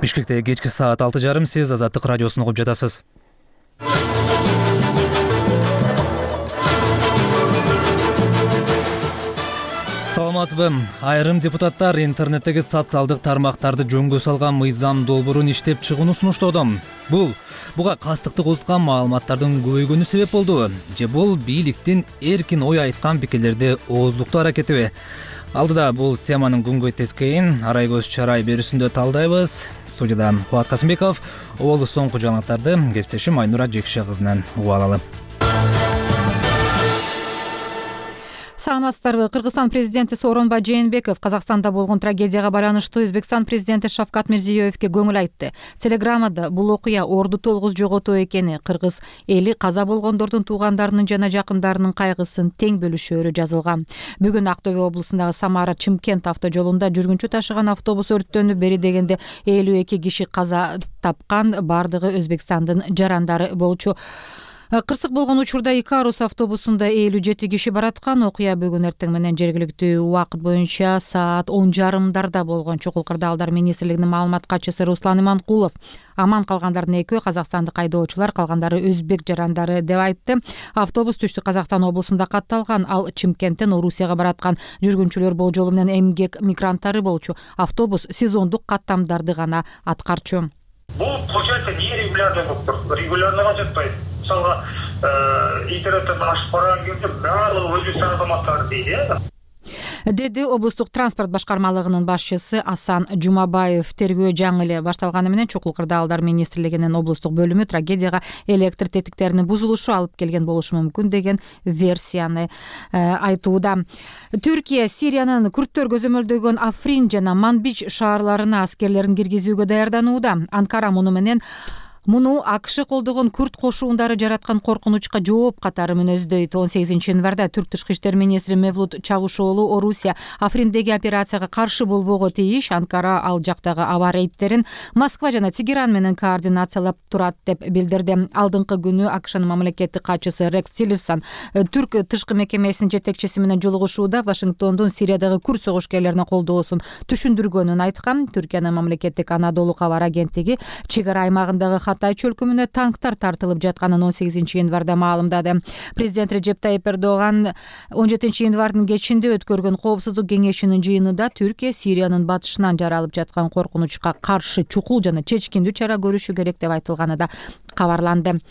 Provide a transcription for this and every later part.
Бишкекте кечки саат 6:30 сиз Азаттык радиосун угуп жатасыз. Саламатсызбы? Айрым депутаттар интернеттеги социалдык тармактарды жөнгө салган мыйзам долбоорун иштеп чыгууну сунуштоодо. Буга кастыктык узган маалыматтардын көбөйгөнү себеп болдубу? Же бул бийликтин эркин ой айткан пикирлерди ооздуктоо аракетиби? Алдыда бул теманын күнгөй тескейин арай көз чарай берүүсүндө талдайбыз. Студияда Кубат Касымбеков, ол соңку жаңылыктарды кесиптешим Айнура Жекше кызынан угуп алалы. Саламатсыздарбы? Кыргызстан президенти Сооронбай Жээнбеков Казакстанда болгон трагедияга байланыштуу Өзбекстан президенти Шавкат Мирзиёевке көңүл айтты. Телеграммада бул окуя орду толгуз жоготуу экени, кыргыз эли каза болгондордун туугандарынын жана жакындарынын кайгысын тең бөлүшөөрү жазылган. Бүгүн Актөбе облусундагы Самара-Чымкент автожолунда жүргүнчү ташыган автобус өрттөнүп бери дегенде 52 киши каза тапкан, бардыгы Өзбекстандын жарандары болчу. Кырсык болгон учурда Икарус автобусунда 57 киши бараткан. Окуя бүгүн эртең менен жергиликтүү убакыт боюнча саат 10:30 болгон. Чукул Кырдаалдар министрлигинин маалымат катчысы Руслан Иманкулов аман калгандардын экөө казакстандык айдоочулар, калгандары өзбек жарандары деп айтты. Автобус Түштүк Казакстан облусунда катталган, ал Чымкенттен Орусияга бараткан жүргүнчүлөр болжолу менен эмгек мигранттары болчу. Автобус сезондук каттамдарды гана аткарчу. Бул получается нерегулярный болуп регулярныйга жатпайт. Мисалга интернеттен ашып барган кезде баардыгы Өзбекстан азаматтары дейт, деди облустук транспорт башкармалыгынын башчысы Асан Жумабаев. Тергөө жаңы эле башталганы менен Чукул Кырдаалдар министрлигинин облустук бөлүмү трагедияга электр тетиктеринин бузулушу алып келген болушу мүмкүн деген версияны айтууда. Түркия Сириянын күрттөр көзөмөлдөгөн Африн жана Манбич шаарларына аскерлерин киргизүүгө даярданууда. Анкара муну АКШ колдогон күрт кошуундары жараткан коркунучка жооп катары мүнөздөйт. 18 январда Түрк тышкы иштер министри Мевлут Чавушоğlu Орусия Африндеги операцияга каршы болбого тийиш. Анкара ал жактагы аба рейдтерин Москва жана Тегеран менен координациялап турат деп билдирди. Алдыңкы күнү АКШнын мамлекеттик катчысы Рекс Тиллерсон Түрк тышкы мекемесинин жетекчиси менен жолугушууда Вашингтондун Сириядагы күрт согушкерлерине колдоосун түшүндүргөнүн айткан. Түркиянын мамлекеттик Анадолу кабар агенттиги чек ара аймагындагы Катай чөлкөмүнө танктар тартылып жатканын 18 январда маалымдады. Президент Режеп Тайип Эрдоган 17 январдын кечинде өткөргөн Коопсуздук кеңешинин жыйынында Түркия Сириянын батышынан жаралып жаткан коркунучка каршы чукул жана чечкиндүү чара көрүшү керек деп айтылганы да кабарланды.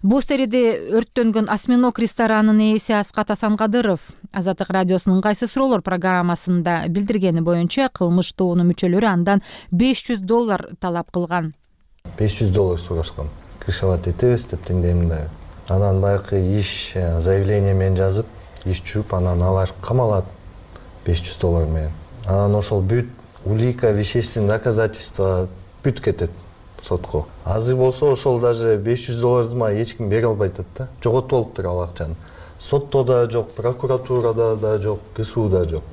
Бостериде өрттөнгөн осьминог ресторанынын ээси Аскат Асанкадыров Азаттык радиосунун кайсы суроолор программасында билдиргени боюнча кылмыш тобунун мүчөлөрү андан $500 талап кылган. $500 сурашкан. Кышалат этебиз деп теңдеймин. Анан баягы иш заявление менен жазып, иш жүрүп, анан алар камалат $500 менен. Анан ошол бүт улика, вещественный доказательства бүт кетет сотко. Азыр болсо ошол даже $500 ма эч ким бере албай атат да. Жоготуп алыптыр ал акчаны. Сотто да жок, прокуратурада да жок, КСУда жок.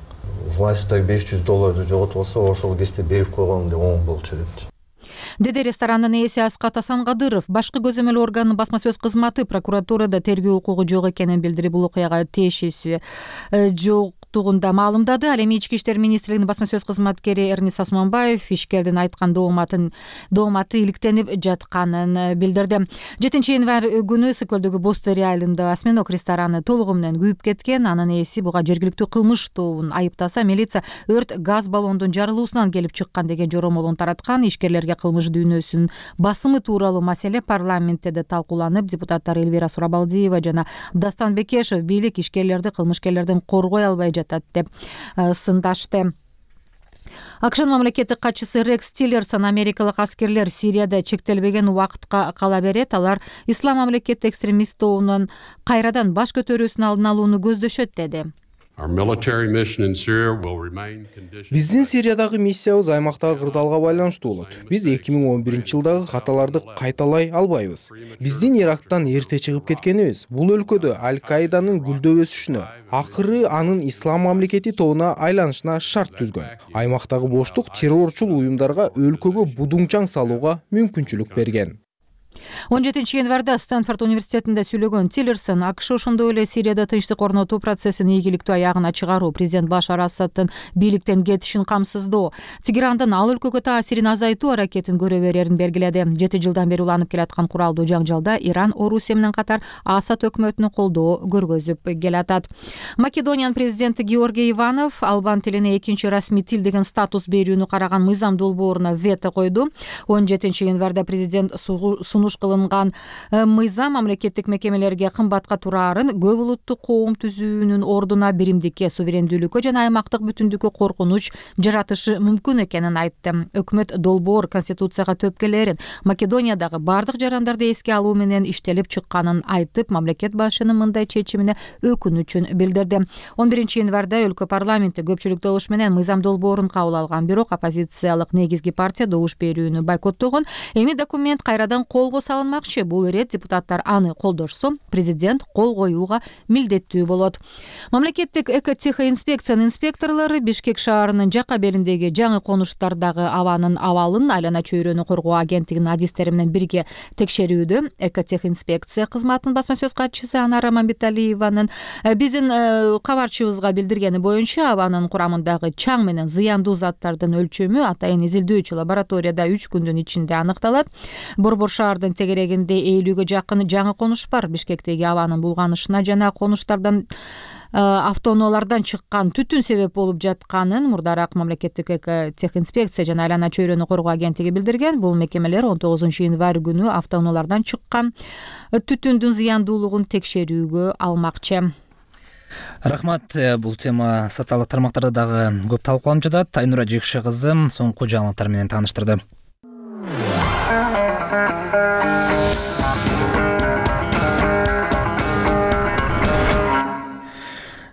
Власттар $500 жоготуп алса, ошол кезде берип койгон деп оң болчу депчи. Деди ресторанын ээси Аскат Асанкадыров. Башкы көзөмөл органынын басма сөз кызматы прокуратурада тергөө укугу жок экенин билдирип, бул окуяга тиешеси жоктугунда маалымдады. Ал эми Ички иштер министрлигинин басма сөз кызматкери Эрнис Осмонбаев ишкердин айткан дооматы иликтенип жатканын билдирди. 7 январь күнү Ысык көлдөгү Бостери айылында осьминог рестораны толугу менен күйүп кеткен. Анын ээси буга жергиликтүү кылмыш тобун айыптаса, милиция өрт газ баллондун жарылуусунан келип чыккан деген жоромолун тараткан. Ишкерлерге кылмыш дүйнөсүнүн басымы тууралуу маселе парламентте да талкууланып, депутаттар Эльвира Сурабалдиева жана Дастан Бекешев бийлик ишкерлерди кылмышкерлерден коргой албай жатат деп сындашты. АКШнын мамлекеттик катчысы Рекс Тиллерсон америкалык аскерлер Сирияда чектелбеген убакытка кала берет. Алар Ислам мамлекети экстремист тобунун кайрадан баш көтөрүүсүнүн алдын алууну көздөшөт деди. Биздин Сириядагы миссиябыз аймактагы кырдаалга байланыштуу болот. Биз 2011-жылдагы каталарды кайталай албайбыз. Биздин Ирактан эрте чыгып кеткенибиз бул өлкөдө Аль-Каиданын гүлдөп өсүшүнө, акыры анын ислам мамлекети тобуна айланышына шарт түзгөн. Аймактагы боштук террорчул уюмдарга өлкөгө будуңчаң салууга мүмкүнчүлүк берген. 17 январда Стэнфорд университетинде сүйлөгөн Тиллерсон АКШ ошондой эле Сирияда тынчтык орнотуу процессин ийгиликтүү аягына чыгаруу, президент Башар Асаддын бийликтен кетишин камсыздоо, Тегерандын ал өлкөгө таасирин азайтуу аракетин көрө берерин белгиледи. 7 жылдан бери уланып келаткан куралдуу жаңжалда Иран, Орусия менен катар Асад өкмөтүнө колдоо көргөзүп келатат. Македониянын президенти Георгий Иванов албан тилине экинчи расмий тил деген статус берүүнү караган мыйзам долбооруна вето койду. 17 январда президент сунуш кылынган мыйзам мамлекеттик мекемелерге кымбатка тураарын, көп улуттуу коом түзүүнүн ордуна биримдикке, суверендүүлүккө жана аймактык бүтүндүккө коркунуч жаратышы мүмкүн экенин айтты. Өкмөт долбоор конституцияга төпкелерин, Македониядагы бардык жарандарды эске алуу менен иштелип чыкканын айтып, мамлекет башчынын мындай чечимине өкүнүчүн билдирди. 11 январда өлкө парламенти көпчүлүк добуш менен мыйзам долбоорун кабыл алган, бирок оппозициялык негизги партия добуш берүүнү бойкоттогон. Эми документ кайрадан колго салынмакчы. Бул ирет депутаттар аны колдошсо, президент кол коюуга милдеттүү болот. Мамлекеттик экотехинспекциянын инспекторлору Бишкек шаарынын жакка белиндеги жаңы конуштардагы абанын абалын айлана чөйрөнү коргоо агенттигинин адистери менен бирге текшерүүдө. Экотехинспекция кызматынын басма сөз катчысы Анара Мамбеталиеванын биздин кабарчыбызга билдиргени боюнча, абанын курамындагы чаң менен зыяндуу заттардын өлчөмү атайын изилдөөчү лабораторияда 3 күндүн ичинде аныкталат. Борбор шаардын тегерегинде 50-гө жакын жаңы конуш бар. Бишкектеги абанын булганышына жана конуштардан автоунаалардан чыккан түтүн себеп болуп жатканын мурдараак мамлекеттик экотехинспекция жана айлана чөйрөнү коргоо агенттиги билдирген. Бул мекемелер 19 январь күнү автоунаалардан чыккан түтүндүн зыяндуулугун текшерүүгө алмакчы. Рахмат. Бул тема социалдык тармактарда дагы көп талкууланып жатат. Айнура Жекши кызы соңку жаңылыктар менен тааныштырды.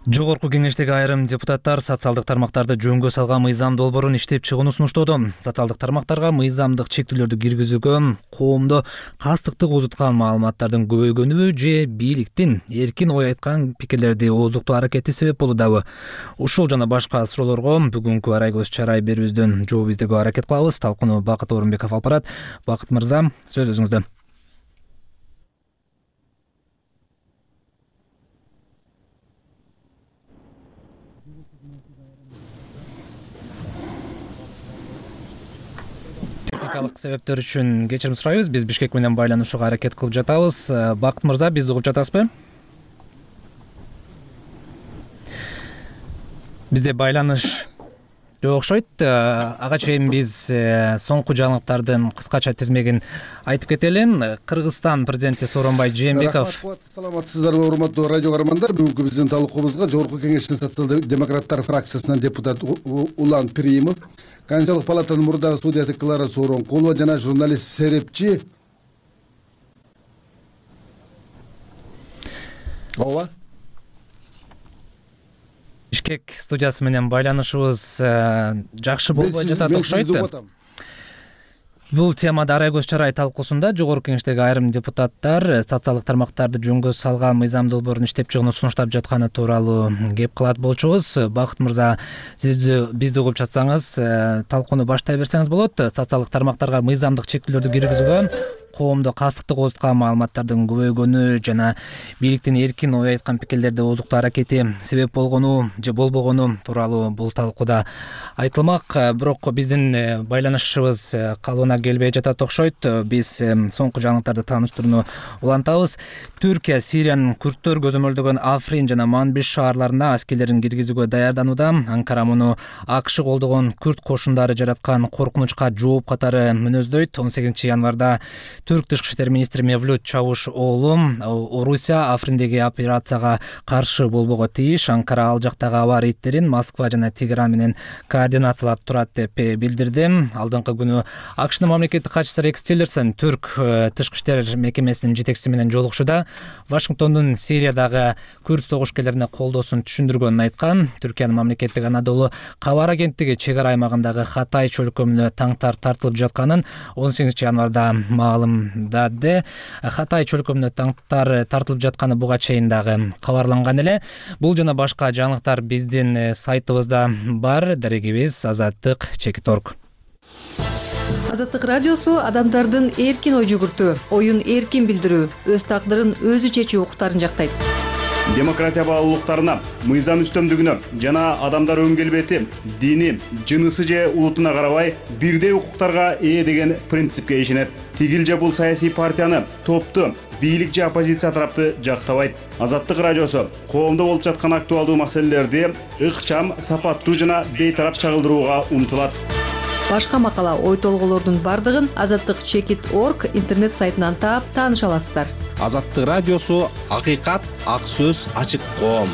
Жогорку кеңештеги айрым депутаттар социалдык тармактарды жөнгө салган мыйзам долбоорун иштеп чыгууну сунуштоодо. Социалдык тармактарга мыйзамдык чектөөлөрдү киргизүүгө коомдо кастыктык узуткан маалыматтардын көбөйгөнү же бийликтин эркин ой айткан пикирлерди ооздуктоо аракети себеп болуудабы? Ушул жана башка суроолорго бүгүнкү арай көз чарай берүүбүздөн жооп издөөгө аракет кылабыз. Талкууну Бакыт Орунбеков алып барат. Бакыт мырза, сөз өзүңүздө. Техникалык себептер үчүн кечирим сурайбыз. Биз Бишкек менен байланышууга аракет кылып жатабыз. Бакыт мырза, бизди угуп жатасызбы? Бизде байланыш жок окшойт. Ага чейин биз соңку жаңылыктардын кыскача тизмегин айтып кетели. Кыргызстан президенти Сооронбай Жээнбеков. Саламатсыздарбы, урматтуу радио көрөрмандар. Бүгүнкү биздин талкуубузга Жогорку кеңештин социал-демократтар фракциясынан депутат Улан Пиримов, Конституциялык палатанын мурдагы судьясы Клара Сооронкулова жана журналист Серепчи Ова Бишкек студиясы менен байланышыбыз жакшы болбой жатат окшойт. Бул темада арай көз чарай талкуусунда Жогорку кеңештеги айрым депутаттар социалдык тармактарды жөнгө салган мыйзам долбоорун иштеп чыгууну сунуштап жатканы тууралуу кеп кылат болчубуз. Бакыт мырза, бизди угуп жатсаңыз, талкууну баштай берсеңиз болот. Социалдык тармактарга мыйзамдык чектөөлөрдү киргизүүгө коомдо кастыктык ооздуткан маалыматтардын көбөйгөнү жана бийликтин эркин ой айткан пикирлерди ооздуктоо аракети себеп болгону же болбогону тууралуу бул талкууда айтылмак. Бирок биздин байланышыбыз калыбына келбей жатат окшойт. Биз соңку жаңылыктарды тааныштырууну улантабыз. Түркия Сириянын күрттөр көзөмөлдөгөн Африн жана Манбиш шаарларына аскерлерин киргизүүгө даярданууда. Анкара муну АКШ колдогон күрт кошундары жараткан коркунучка жооп катары мүнөздөйт. 18 январда Түрк тышкы иштер министри Мевлют Чавушоглу Орусия Африндеги операцияга каршы болбого тийиш. Анкара ал жактагы аба рейдтерин Москва жана Тегеран менен координациялап турат деп билдирди. Алдыңкы күнү АКШнын мамлекеттик катчысы Рекс Тиллерсон Түрк тышкы иштер мекемесинин жетекчиси менен жолугушууда Вашингтондун Сириядагы күрт согушкерлерине колдоосун түшүндүргөнүн айткан. Түркиянын мамлекеттик Анадолу кабар агенттиги чек ара аймагындагы Хатай чөлкөмүнө таңтар тартылып жатканын 18 январда маалымдады. Хатай чөлкөмүнө таңтар тартылып жатканы буга чейин дагы кабарланган эле. Бул жана башка жаңылыктар биздин сайтыбызда бар. Дарегибиз Азаттык Чекит.орг. Азаттык радиосу адамдардын эркин ой жүгүртүү, оюн эркин билдирүү, өз тагдырын өзү чечүү укуктарын жактайт. Демократия баалуулуктарына, мыйзам үстөмдүгүнө жана адамдар өң келбети, дини, жынысы же улутуна карабай бирдей укуктарга ээ деген принципке ишенет. Тигил же бул саясий партияны, топту, бийлик же оппозиция тарапты жактабайт. Азаттык радиосу коомдо болуп жаткан актуалдуу маселелерди ыкчам, сапаттуу жана бейтарап чагылдырууга умтулат. Башка макала, ой толгоолордун бардыгын azattik.org интернет сайтынан таап тааныша аласыздар. Азаттык радиосу акыйкат, ак сөз, ачык коом.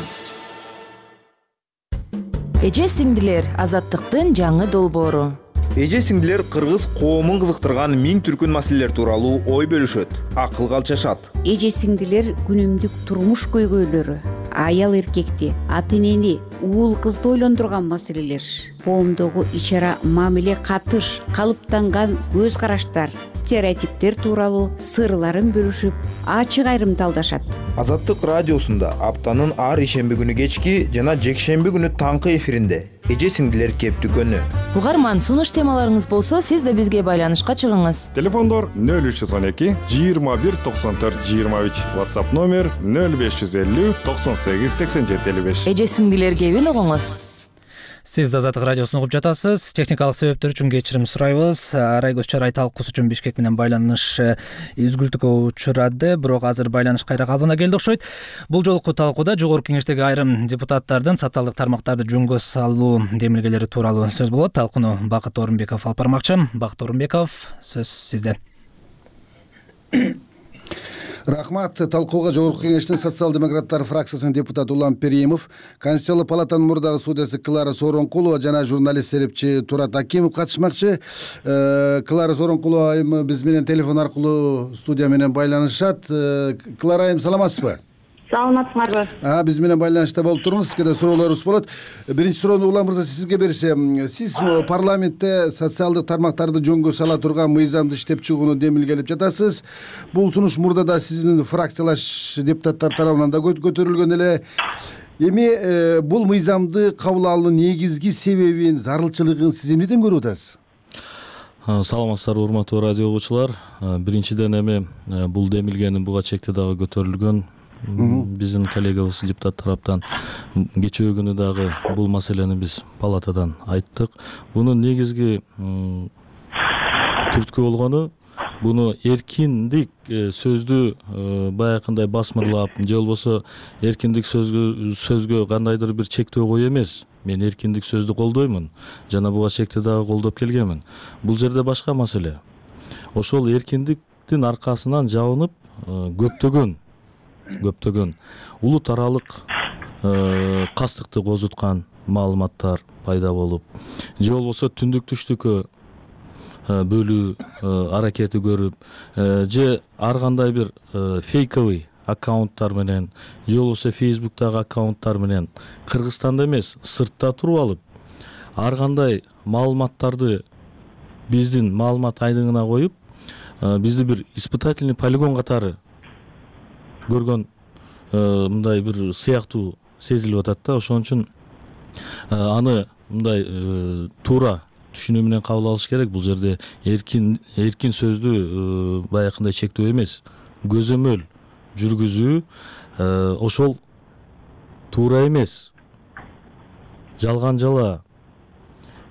Эже сиңдилер, азаттыктын жаңы долбоору. Эже сиңдилер кыргыз коомун кызыктырган миң түркүн маселелер тууралуу ой бөлүшөт, акылга алчашат. Эже сиңдилер күнүмдүк турмуш көйгөйлөрү, аял эркекти, ата энени, уул кызды ойлондурган маселелер, коомдогу ичара мамиле катыш, калыптанган көз караштар, стереотиптер тууралуу сырларын бөлүшүп, ачык айрымдалдашат. Азаттык радиосунда аптанын ар ишемби күнү кечки жана жекшемби күнү таңкы эфиринде эже сиңдилер кептүкөнү. Угарман, сунуш темаларыңыз болсо, сиз да бизге байланышка чыгыңыз. Телефондор 0312 21 94 23, WhatsApp номер 0550 98 87 55. Эже сиңдилер кебин угуңуз. Сиз Азаттык радиосун угуп жатасыз. Техникалык себептер үчүн кечирим сурайбыз. Арайгөз чарай талкуусу үчүн Бишкек менен байланыш үзгүлтүккө учурады, бирок азыр байланыш кайра калыбына келди окшойт. Бул жолку талкууда жогорку кеңештеги айрым депутаттардын социалдык тармактарды жөнгө салуу демилгелери тууралуу сөз болот. Талкууну Бакыт Орунбеков алып бармакчы. Бакыт Орунбеков, сөз сизде. Рахмат. Талкууга жогорку кеңештин социал-демократтар фракциясынын депутаты Улан Перимов, Конституциялык палатанын мурдагы судьясы Клара Сооронкулова жана журналист серепчи Турат Акимов катышмакчы. Клара Сооронкулова айым биз менен телефон аркылуу студия менен байланышат. Клара айым, саламатсызбы? Саламатсыңарбы? Биз менен байланышта болуп туруңуз. Сизге да суроолорубуз болот. Биринчи суроону Улан мырза сизге берсем, сиз парламентте социалдык тармактарды жөнгө сала турган мыйзамды иштеп чыгууну демилгелеп жатасыз. Бул сунуш мурда да сиздин фракциялаш депутаттар тарабынан да көтөрүлгөн эле. Эми бул мыйзамды кабыл алуунун негизги себебин, зарылчылыгын сиз эмнеден көрүп атасыз? Саламатсыздарбы, урматтуу радио угуучулар. Биринчиден эми бул демилгенин буга чекте дагы көтөрүлгөн. Биздин коллегабыз депутат тараптан кечээ күнү дагы бул маселени биз палатадан айттык. Бунун негизги түрткү болгону буну эркиндик сөздү баягындай басмырлап же болбосо эркиндик сөзгө кандайдыр бир чектөө кою эмес. Мен эркиндик сөздү колдоймун жана буга чекте дагы колдоп келгенмин. Бул жерде башка маселе. Ошол эркиндиктин аркасынан жабынып көптөгөн улут аралык кастыкты козуткан маалыматтар пайда болуп, же болбосо түндүк түштүккө бөлүү аракети көрүп, же ар кандай бир фейковый аккаунттар менен, же болбосо Facebook'тагы аккаунттар менен Кыргызстанда эмес, сыртта туруп алып, ар кандай маалыматтарды биздин маалымат айдыңына коюп, бизди бир испытательный полигон катары көргөн мындай бир сыяктуу сезилип атат да. Ошон үчүн аны мындай туура түшүнүү менен кабыл алыш керек. Бул жерде эркин сөздү баягындай чектөө эмес, көзөмөл жүргүзүү ошол туура эмес, жалган жала,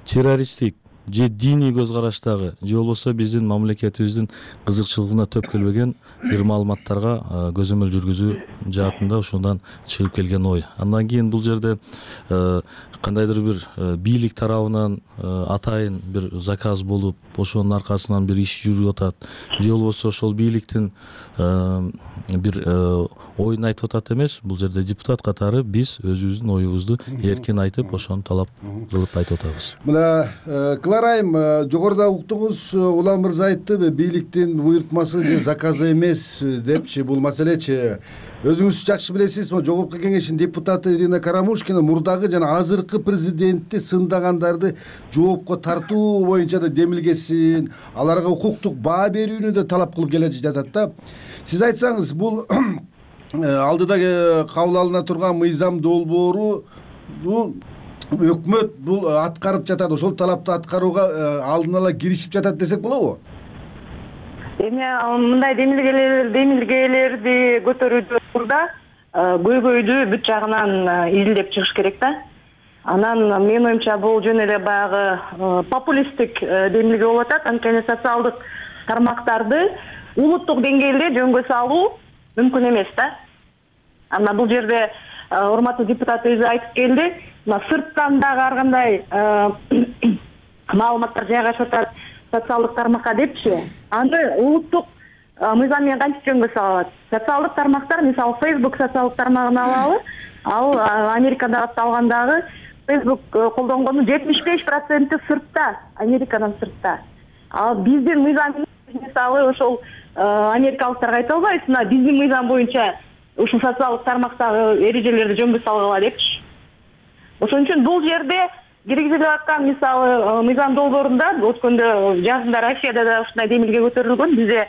террористтик же диний көз караштагы, же болбосо биздин мамлекетибиздин кызыкчылыгына төп келбеген бир маалыматтарга көзөмөл жүргүзүү жаатында ушундан чыгып келген ой. Андан кийин бул жерде кандайдыр бир бийлик тарабынан атайын бир заказ болуп, ошонун аркасынан бир иш жүрүп атат, же болбосо ошол бийликтин бир оюн айтып атат эмес. Бул жерде депутат катары биз өзүбүздүн оюбузду эркин айтып, ошону талап кылып айтып атабыз. Мына Кларайым, жогоруда уктуңуз, Улан мырза айтты, бийликтин буйртмасы же заказы эмес депчи, бул маселечи. Өзүңүз жакшы билесиз, жогорку кеңештин депутаты Ирина Карамушкина мурдагы жана азыркы президентти сындагандарды жоопко тартуу боюнча да демилгесин, аларга укуктук баа берүүнү да талап кылып келе жатат да. Сиз айтсаңыз, бул алдыда кабыл алына турган мыйзам долбоору өкмөт бул аткарып жатат, ошол талапты аткарууга алдын ала киришип жатат десек болобу? Эми мындай демилгелерди көтөрүүдө көйгөйдү бүт жагынан изилдеп чыгыш керек да. Анан менин оюмча бул жөн эле баягы популисттик демилге болуп атат. Анткени социалдык тармактарды улуттук деңгээлде жөнгө салуу мүмкүн эмес да. Анан бул жерде урматтуу депутат өзү айтып келди. Сырттан дагы ар кандай маалыматтар жайгашып атат социалдык тармакка депчи. Аны улуттук мыйзам менен кантип жөнгө сала алат? Социалдык тармактар, мисалы Facebook социалдык тармагын алалы, ал Америкада катталгандагы Facebook колдонгондун 75% сыртта, Америкадан сыртта. Ал биздин мыйзам мисалы ошол америкалыктарга айта албайбыз, мына биздин мыйзам боюнча ушул социалдык тармактагы эрежелерди жөнгө салгыла депчи. Ошон үчүн бул жерде киргизилип аткан мисалы мыйзам долбоорунда өткөндө жазында Россияда да ушундай демилге көтөрүлгөн. Бизде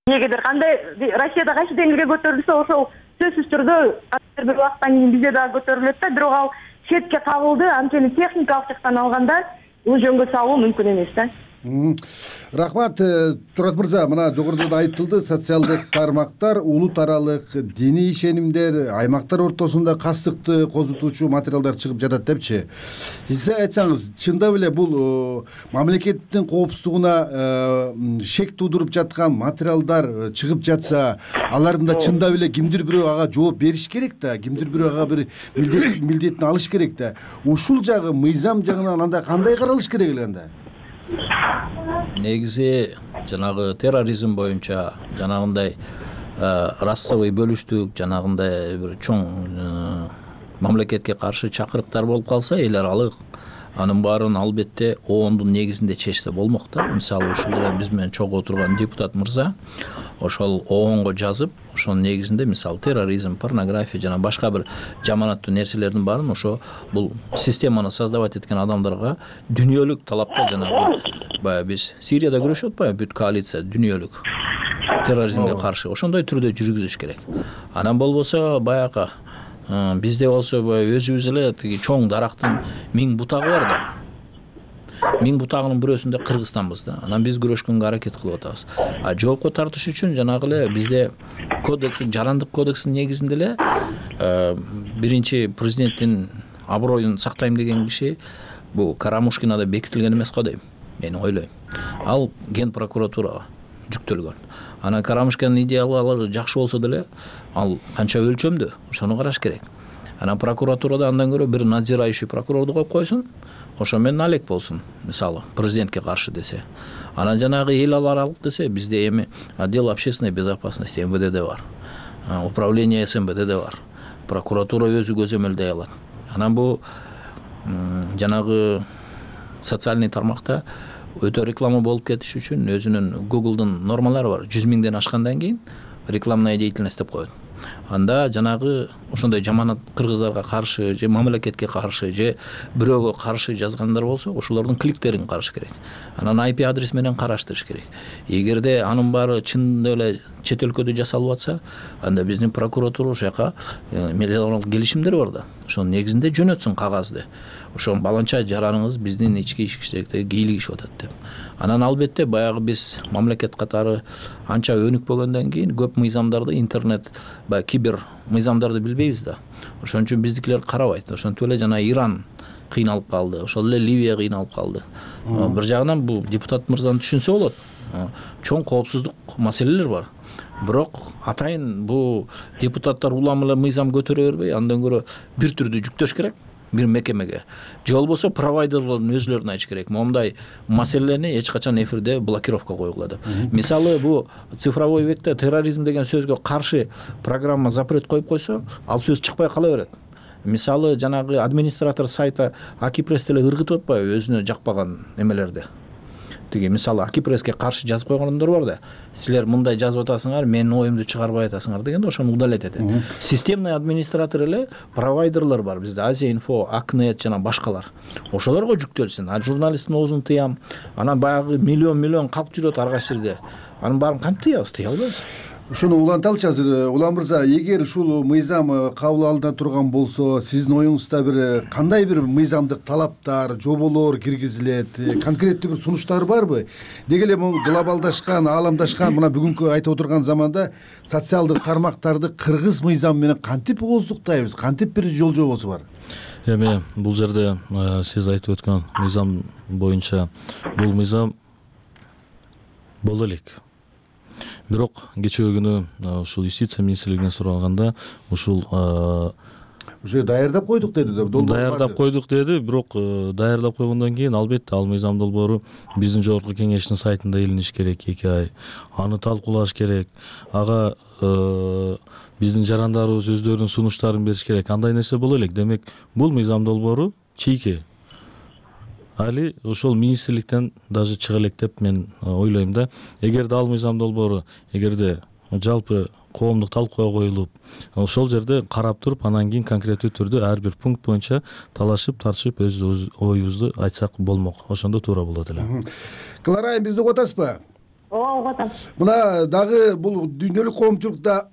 эмнегедир кандай Россияда кайсы демилге көтөрүлсө, ошол сөзсүз түрдө бир убакыттан кийин бизде дагы көтөрүлөт да, бирок ал четке кагылды. Анткени техникалык жактан алганда бул жөнгө салуу мүмкүн эмес да. Рахмат, Турат мырза, мына жогоруда да айтылды, социалдык тармактар улут аралык диний ишенимдер, аймактар ортосунда кастыкты козутуучу материалдар чыгып жатат депчи. Сиз айтсаңыз, чындап эле бул мамлекеттин коопсуздугуна шек туудуруп жаткан материалдар чыгып жатса, алардын да чындап эле кимдир бирөө ага жооп бериш керек да, кимдир бирөө ага бир милдетин алыш керек да. Ушул жагы мыйзам жагынан анда кандай каралыш керек эле анда? Негизи жанагы терроризм боюнча жанагындай расовый бөлүштүк, жанагындай бир чоң мамлекетке каршы чакырыктар болуп калса, эл аралык анын баарын албетте оондун негизинде чечсе болмок да. Мисалы ушул эле биз менен чогуу турган депутат мырза ошол оонго жазып, ошонун негизинде мисалы терроризм, порнография жана башка бир жаманаттуу нерселердин баарын ошо бул системаны создавать эткен адамдарга дүйнөлүк талапта жанагы баягы биз Сирияда күрөшүп атпайбы, бүт коалиция дүйнөлүк терроризмге каршы ошондой түрдө жүргүзүш керек. Анан болбосо баягы бизде болсо өзүбүз эле тиги чоң дарактын 1000 бутагы бар да. 1000 бутагынын бирөөсүндө Кыргызстанбыз да. Анан биз күрөшкөнгө аракет кылып атабыз. Жоопко тартыш үчүн жанагы эле бизде кодекстин, жарандык кодекстин негизинде эле биринчи президенттин аброюн сактайм деген киши бул Карамушкинада бекитилген эмес го дейм. Мен ойлойм. Ал ген прокуратурага жүктөлгөн. Анан Карамушкинин идеялары жакшы болсо деле, ал канча өлчөмдүү, ошону караш керек. Анан прокуратурада андан көрө бир надзирающий прокурорду коюп койсун, ошо менен алек болсун, мисалы, президентке каршы десе. Анан жанагы эл аралык десе, бизде эми отдел общественной безопасности МВДде бар. Управление СМБДде бар. Прокуратура өзү көзөмөлдөй алат. Анан бул жанагы социальный тармакта өтө реклама болуп кетиш үчүн өзүнүн Google'дун нормалары бар. 100 000ден ашкандан кийин рекламная деятельность деп коет. Анда жанагы ошондой жаманат кыргыздарга каршы же мамлекетке каршы же бирөөгө каршы жазгандар болсо, ошолордун кликтерин караш керек. Анан IP адрес менен караштырыш керек. Эгерде анын баары чындап эле чет өлкөдө жасалып атса, анда биздин прокуратура ошояка мелиоралдык келишимдер бар да. Ошонун негизинде жөнөтсүн кагазды. Ошо баланча жараныңыз биздин ички ишкердикте кийлигишип атат деп. Анан албетте баягы биз мамлекет катары анча өнүкпөгөндөн кийин көп мыйзамдарды интернет баягы кибер мыйзамдарды билбейбиз да. Ошон үчүн биздикилер карабайт. Ошентип эле жана Иран кыйналып калды, ошол эле Ливия кыйналып калды. Бир жагынан бул депутат мырзаны түшүнсө болот. Чоң коопсуздук маселелер бар. Бирок атайын бул депутаттар улам эле мыйзам көтөрө бербей, андан көрө бир түрдүү жүктөш керек. Бир мекемеге же болбосо провайдерлордун өзүлөрүнө айтыш керек. Момундай маселелерни эч качан эфирде блокировка койгула деп. Мисалы бул цифровой векте терроризм деген сөзгө каршы программа запрет коюп койсо, ал сөз чыкпай кала берет. Мисалы жанагы администратор сайта Акипресс деле ыргытып атпайбы өзүнө жакпаган эмелерди. Тиги мисалы Акипресске каршы жазып койгондор бар да. Силер мындай жазып атасыңар, менин оюмду чыгарбай атасыңар дегенде ошону удалять этет. Системный администратор эле провайдерлер бар бизде, Азия инфо, Акнет жана башкалар. Ошолорго жүктөлсүн. А журналисттин оозун тыям. Анан баягы миллион калп жүрөт ар кайсы жерде. Анын баарын кантип тыябыз? Тыя албайбыз. ошону уланталычы азыр. Улан мырза, эгер ушул мыйзам кабыл алына турган болсо, сиздин оюңузда бир кандай бир мыйзамдык талаптар, жоболор киргизилет, конкреттүү бир сунуштар барбы? Деги эле бул глобалдашкан, ааламдашкан мына бүгүнкү айтып отурган заманда социалдык тармактарды кыргыз мыйзамы менен кантип ооздуктайбыз, кантип бир жол жобосу бар? Эми бул жерде сиз айтып өткөн мыйзам боюнча бул мыйзам боло элек. Бирок кечээ күнү ушул юстиция министрлигинен сураганда ушул уже даярдап койдук деди. Даярдап койдук деди, бирок даярдап койгондон кийин албетте ал мыйзам долбоору биздин жогорку кеңештин сайтында илиниш керек 2 ай. Аны талкуулаш керек. Ага биздин жарандарыбыз өздөрүнүн сунуштарын бериш керек. Андай нерсе боло элек. Демек, бул мыйзам долбоору чийки. Али ошол министрликтен даже чыга элек деп мен ойлойм да. Эгерде ал мыйзам долбоору эгерде жалпы коомдук талкууга коюлуп, ошол жерде карап туруп, анан кийин конкреттүү түрдө ар бир пункт боюнча талашып, тартышып өз оюбузду айтсак болмок. Ошондо туура болот эле. Клара, бизди угуп атасызбы? Ооба, угуп атам. Мына дагы бул дүйнөлүк коомчулукта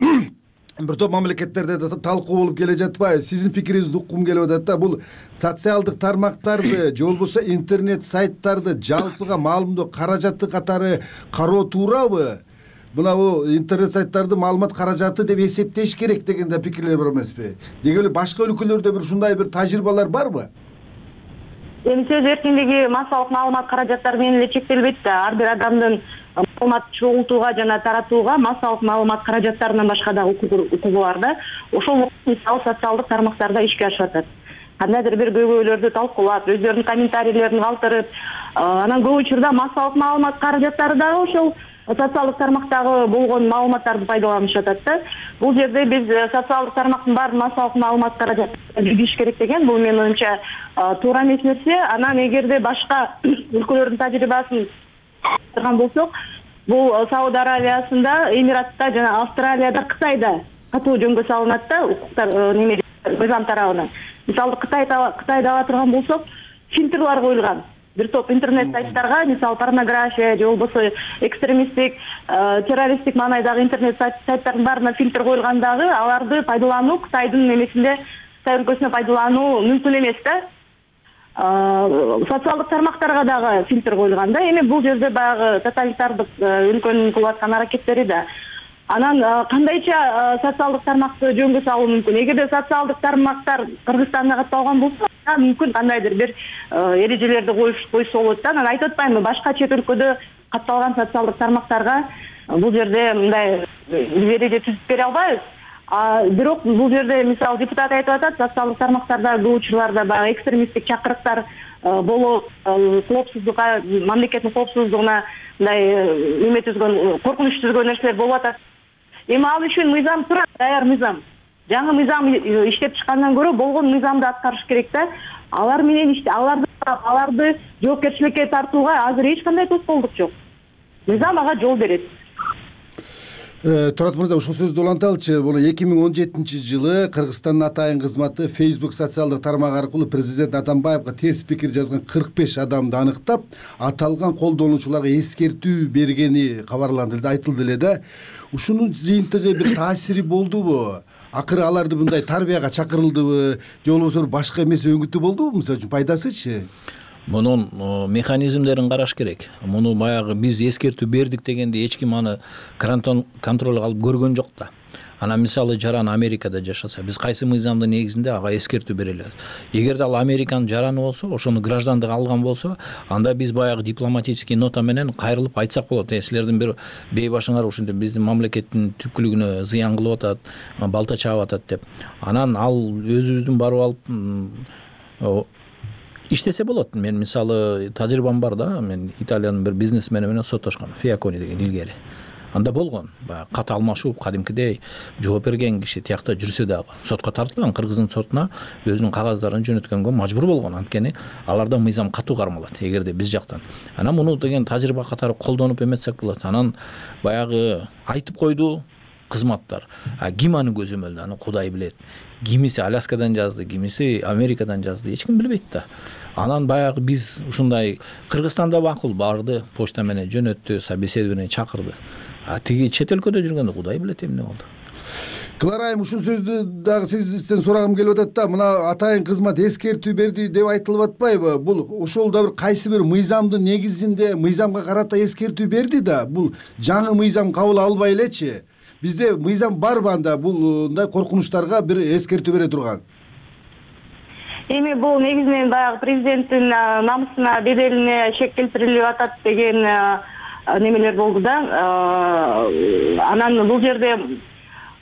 бир топ мамлекеттерде талкуу болуп келе жатпайбы? Сиздин пикириңизди уккум келип атат да. Бул социалдык тармактарды же болбосо интернет сайттарды жалпыга маалымдоо каражаты катары кароо туурабы? Мына бул интернет сайттарды маалымат каражаты деп эсептеш керек деген да пикирлер бар эмеспи? Деги эле башка өлкөлөрдө бир ушундай бир тажрыйбалар барбы? Эми сөз эркиндиги массалык маалымат каражаттары менен эле чектелбейт да. Ар бир адамдын маалымат чогултууга жана таратууга массалык маалымат каражаттарынан башка да укугу бар да. Ошол мисалы социалдык тармактарда ишке ашып атат. Кандайдыр бир көйгөйлөрдү талкуулап, өздөрүнүн комментарийлерин калтырып, анан көп учурда массалык маалымат каражаттары дагы ошол социалдык тармактагы болгон маалыматтарды пайдаланышып атат да. Бул жерде биз социалдык тармактын баарын массалык маалымат каражаттарына киргизиш керек деген бул менин оюмча туура эмес нерсе. Анан эгерде башка өлкөлөрдүн тажрыйбасын караган болсок, бул Сауд Аравиясында, Эмиратта жана Австралияда, Кытайда катуу жөнгө салынат да укуктар немеде мыйзам тарабынан. Мисалы Кытайда ала турган болсок, фильтрлар коюлган. Бир топ интернет сайттарга, мисалы порнография же болбосо экстремисттик, террористтик маанайдагы интернет сайттардын баарына фильтр коюлган дагы, аларды пайдалануу Кытайдын немесинде, Кытай өлкөсүндө пайдалануу мүмкүн эмес да. Социалдык тармактарга дагы фильтр коюлган да. Эми бул жерде баягы тоталитардык өлкөнүн кылып аткан аракеттери да. Анан кандайча социалдык тармакты жөнгө салуу мүмкүн? Эгерде социалдык тармактар Кыргызстанда катталган болсо, мүмкүн кандайдыр бир эрежелерди койсо болот да. Анан айтып атпаймынбы, башка чет өлкөдө катталган социалдык тармактарга бул жерде мындай эреже түзүп бере албайбыз. Бирок бул жерде мисалы депутат айтып атат, социалдык тармактарда көп учурларда баягы экстремисттик чакырыктар болуп, коопсуздукка, мамлекеттин коопсуздугуна мындай эме түзгөн, коркунуч түзгөн нерселер болуп атат. Эми ал үчүн мыйзам турат, даяр мыйзам. Жаңы мыйзам иштеп чыккандан көрө болгон мыйзамды аткарыш керек да. Алар менен аларды жоопкерчиликке тартууга азыр эч кандай тоскоолдук жок. Мыйзам ага жол берет. Турат мырза, ушул сөздү уланталычы. Бул 2017-жылы Кыргызстандын атайын кызматы Facebook социалдык тармак аркылуу президент Атамбаевга терс пикир жазган 45 адамды аныктап, аталган колдонуучуларга эскертүү бергени кабарланды, айтылды эле да. Ушунун жыйынтыгы бир таасири болдубу? Акыры аларды мындай тарбияга чакырылдыбы, же болбосо башка эмес өңүтү болдубу? Мисалы үчүн пайдасычы? Мунун механизмдерин караш керек. Муну баягы биз эскертүү бердик дегенде эч ким аны контролго алып көргөн жок да. Анан мисалы жаран Америкада жашаса, биз кайсы мыйзамдын негизинде ага эскертүү бере алабыз. Эгерде ал Американын жараны болсо, ошону граждандык алган болсо, анда биз баягы дипломатический нота менен кайрылып айтсак болот. Силердин бир бейбашыңар ушинтип биздин мамлекеттин түпкүлүгүнө зыян кылып атат, балта чаап атат деп. Анан ал өзүбүздүн барып алып иштесе болот. Мен мисалы тажрыйбам бар да. Мен Италиянын бир бизнесмени менен соттошком, Фиакони деген илгери. Анда болгон, баягы кат алмашуу, кадимкидей жооп берген киши тиякта жүрсө дагы сотко тартылган, Кыргыздын сотуна өзүнүн кагаздарын жөнөткөнгө мажбур болгон. Анткени аларда мыйзам катуу кармалат, эгерде биз жактан. Анан муну деген тажрыйба катары колдонуп эметсек болот. Анан баягы айтып койду кызматтар. Ким аны көзөмөлдү, аны Кудай билет. кимиси Аляскадан жазды, кимиси Америкадан жазды, эч ким билбейт да. Анан баягы биз ушундай Кыргызстанда макул барды, почта менен жөнөттү, собеседование менен чакырды. Тиги чет өлкөдө жүргөндө Кудай билет эмне болду. Клара айым, ушул сөздү дагы сизден сурагым келип атат да, мына атайын кызмат эскертүү берди деп айтылып атпайбы? Бул ошол да бир кайсы бир мыйзамдын негизинде мыйзамга карата эскертүү берди да, бул жаңы мыйзам кабыл албай элечи. Бизде мыйзам барбы анда мындай коркунучтарга бир эскертүү бере турган? Эми бул негизинен баягы президенттин намысына, беделине шек келтирилип атат деген немелер болду да. Анан бул жерде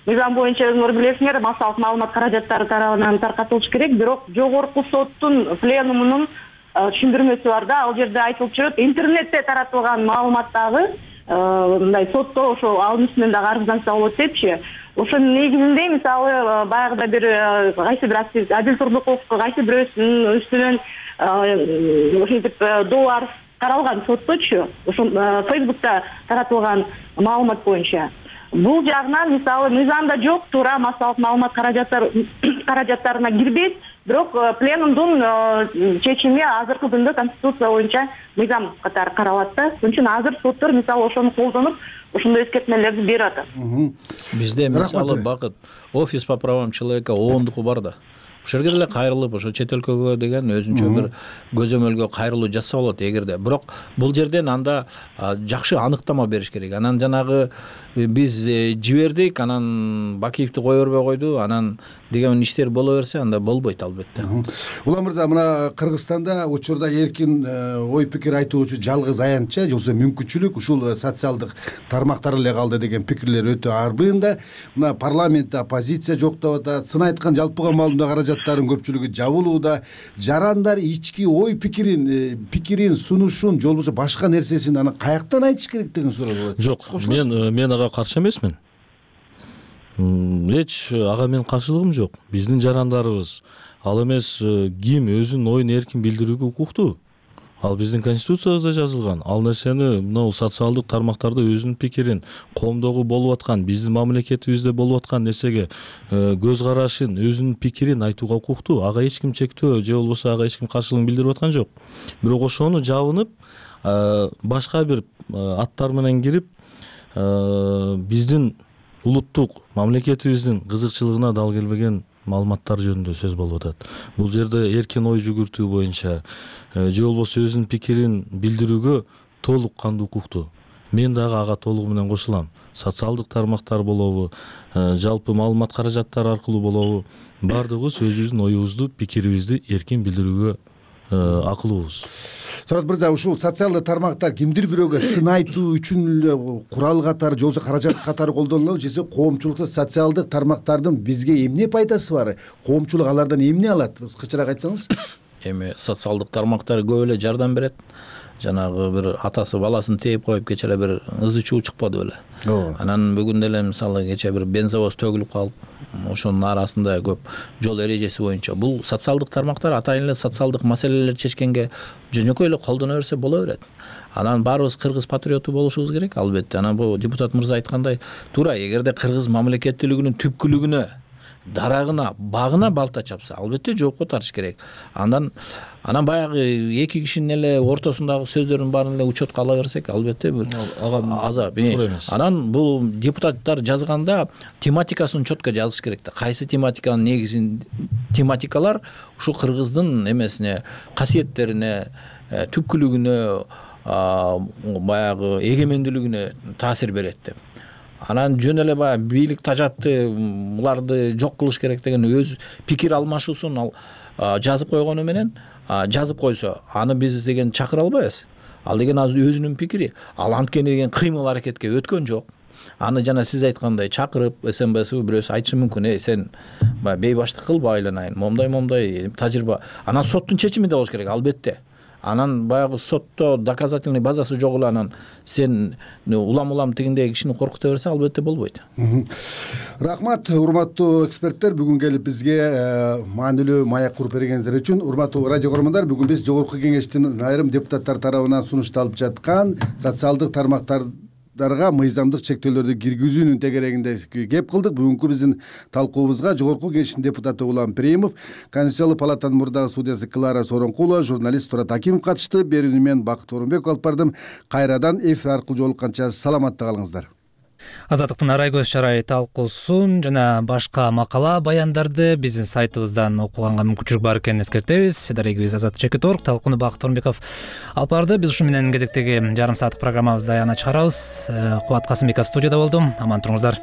мыйзам боюнча өзүңөр билесиңер, массалык маалымат каражаттары тарабынан таркатылыш керек, бирок жогорку соттун пленумунун түшүндүрмөсү бар да, ал жерде айтылып жүрөт, интернетте таратылган маалыматтагы мындай сотто ошо анын үстүнөн дагы арызданса болот депчи. Ошонун негизинде мисалы баягыда бир кайсы бир Адил Турдуковго кайсы бирөөсүнүн үстүнөн ошентип доо арыз каралган сотточу, ошо Facebook'та таратылган маалымат боюнча. Бул жагынан мисалы мыйзамда жок, туура массалык маалымат каражаттарына кирбейт, бирок пленумдун чечими азыркы күндө Конституция боюнча мыйзам катары каралат да. Ошон үчүн азыр соттор мисалы ошону колдонуп, ошондой эскертмелерди берип атат. Бизде мисалы Бакыт офис по правам человека оондуку бар да. Ошол жерге деле кайрылып, ошо чет өлкөгө деген өзүнчө бир көзөмөлгө кайрылуу жасаса болот эгерде. Бирок бул жерден анда жакшы аныктама бериш керек. Анан жанагы биз жибердик, анан Бакиевди кое бербей койду, анан деген иштер боло берсе, анда болбойт албетте. Улан мырза, мына Кыргызстанда учурда эркин ой пикир айтуучу жалгыз аянтча же болбосо мүмкүнчүлүк ушул социалдык тармактар эле калды деген пикирлер өтө арбыйын да. Мына парламентте оппозиция жок деп атат, сын айткан жалпыга маалымдоо каражаттарынын көпчүлүгү жабылууда. Жарандар ички ой пикирин сунушун же болбосо башка нерсесин анан каяктан айтыш керек деген суроо болот. Жок, мен ага каршы эмесмин. Эч ага менин каршылыгым жок. Биздин жарандарыбыз ал эмес ким өзүнүн оюн эркин билдирүүгө укуктуу. Ал биздин конституциябызда жазылган. Ал нерсени мына социалдык тармактарда өзүнүн пикирин, коомдогу болуп аткан, биздин мамлекетибизде болуп аткан нерсеге көз карашын, өзүнүн пикирин айтууга укуктуу. Ага эч ким чектөө же болбосо ага эч ким каршылыгын билдирип аткан жок. Бирок ошону жабынып, башка бир аттар менен кирип, биздин улуттук мамлекетибиздин кызыкчылыгына дал келбеген маалыматтар жөнүндө сөз болуп атат. Бул жерде эркин ой жүгүртүү боюнча же болбосо өзүнүн пикирин билдирүүгө толук кандуу укуктуу. Мен дагы ага толугу менен кошулам. Социалдык тармактар болобу, жалпы маалымат каражаттары аркылуу болобу, бардыгыбыз өзүбүздүн оюбузду, пикирибизди эркин билдирүүгө акылыбыз. Турат мырза, ушул социалдык тармактар кимдир бирөөгө сын айтуу үчүн курал катары же болбосо каражат катары колдонулабы, же коомчулукта социалдык тармактардын бизге эмне пайдасы бар? Коомчулук алардан эмне алат? Кычыраак айтсаңыз. Эми социалдык тармактар көп эле жардам берет. Жанагы бир атасы баласын тээп коюп кече эле бир ызы чуу чыкпады беле. Анан бүгүн деле мисалы кече бир бензовоз төгүлүп калып, ошонун арасында көп жол эрежеси боюнча бул социалдык тармактар атайын эле социалдык маселелерди чечкенге жөнөкөй эле колдоно берсе боло берет. Анан баарыбыз кыргыз патриоту болушубуз керек албетте. Анан бул депутат мырза айткандай туура, эгерде кыргыз мамлекеттүүлүгүнүн түпкүлүгүнө, дарагына, багына балта чапса, албетте жоопко тартыш керек. Анан баягы эки кишинин эле ортосундагы сөздөрдүн баарын эле учетко ала берсек, албетте бир азап. Анан бул депутаттар жазганда тематикасын четко жазыш керек да. Кайсы тематиканын негизин тематикалар ушул кыргыздын эмесине, касиеттерине, түпкүлүгүнө, баягы эгемендүүлүгүнө таасир берет деп. Анан жөн эле баягы бийлик тажатты, буларды жок кылыш керек деген өз пикир алмашуусун ал жазып койгону менен, жазып койсо, аны биз деген чакыра албайбыз. Ал деген өзүнүн пикири. Ал анткени деген кыймыл аракетке өткөн жок. Аны жана сиз айткандай чакырып, СМБСУ бирөөсү айтышы мүмкүн, сен бейбаштык кылба, айланайын, момдай тажрыйба. Анан соттун чечими да болуш керек, албетте. Анан баягы сотто доказательный базасы жок эле анан сен улам тигиндеги кишини коркута берсе, албетте болбойт. Рахмат, урматтуу эксперттер, бүгүн келип бизге маанилүү маяк куруп бергениңиздер үчүн. Урматтуу радио көрөрмандар, бүгүн биз Жогорку Кеңештин айрым депутаттар тарабынан сунушталып жаткан социалдык тармактар талаптарга мыйзамдык чектөөлөрдү киргизүүнүн тегерегинде кеп кылдык. Бүгүнкү биздин талкуубузга Жогорку Кеңештин депутаты Улан Пиримов, Конституциялык палатанын мурдагы судьясы Клара Сооронкулова, журналист Турат Акимов катышты. Берүүнү мен Бакыт Орунбеков алып бардым. Кайрадан эфир аркылуу жолукканча саламатта калыңыздар. Азаттыктын арай көз чарай талкуусун жана башка макала баяндарды биздин сайтыбыздан окуганга мүмкүнчүлүк бар экенин эскертебиз. Дарегибиз Азат.org. Талкууну Бакыт Орунбеков алып барды. Биз ушу менен кезектеги жарым сааттык программабызды аягына чыгарабыз. Кубат Касымбеков студияда болдум. Аман туруңуздар.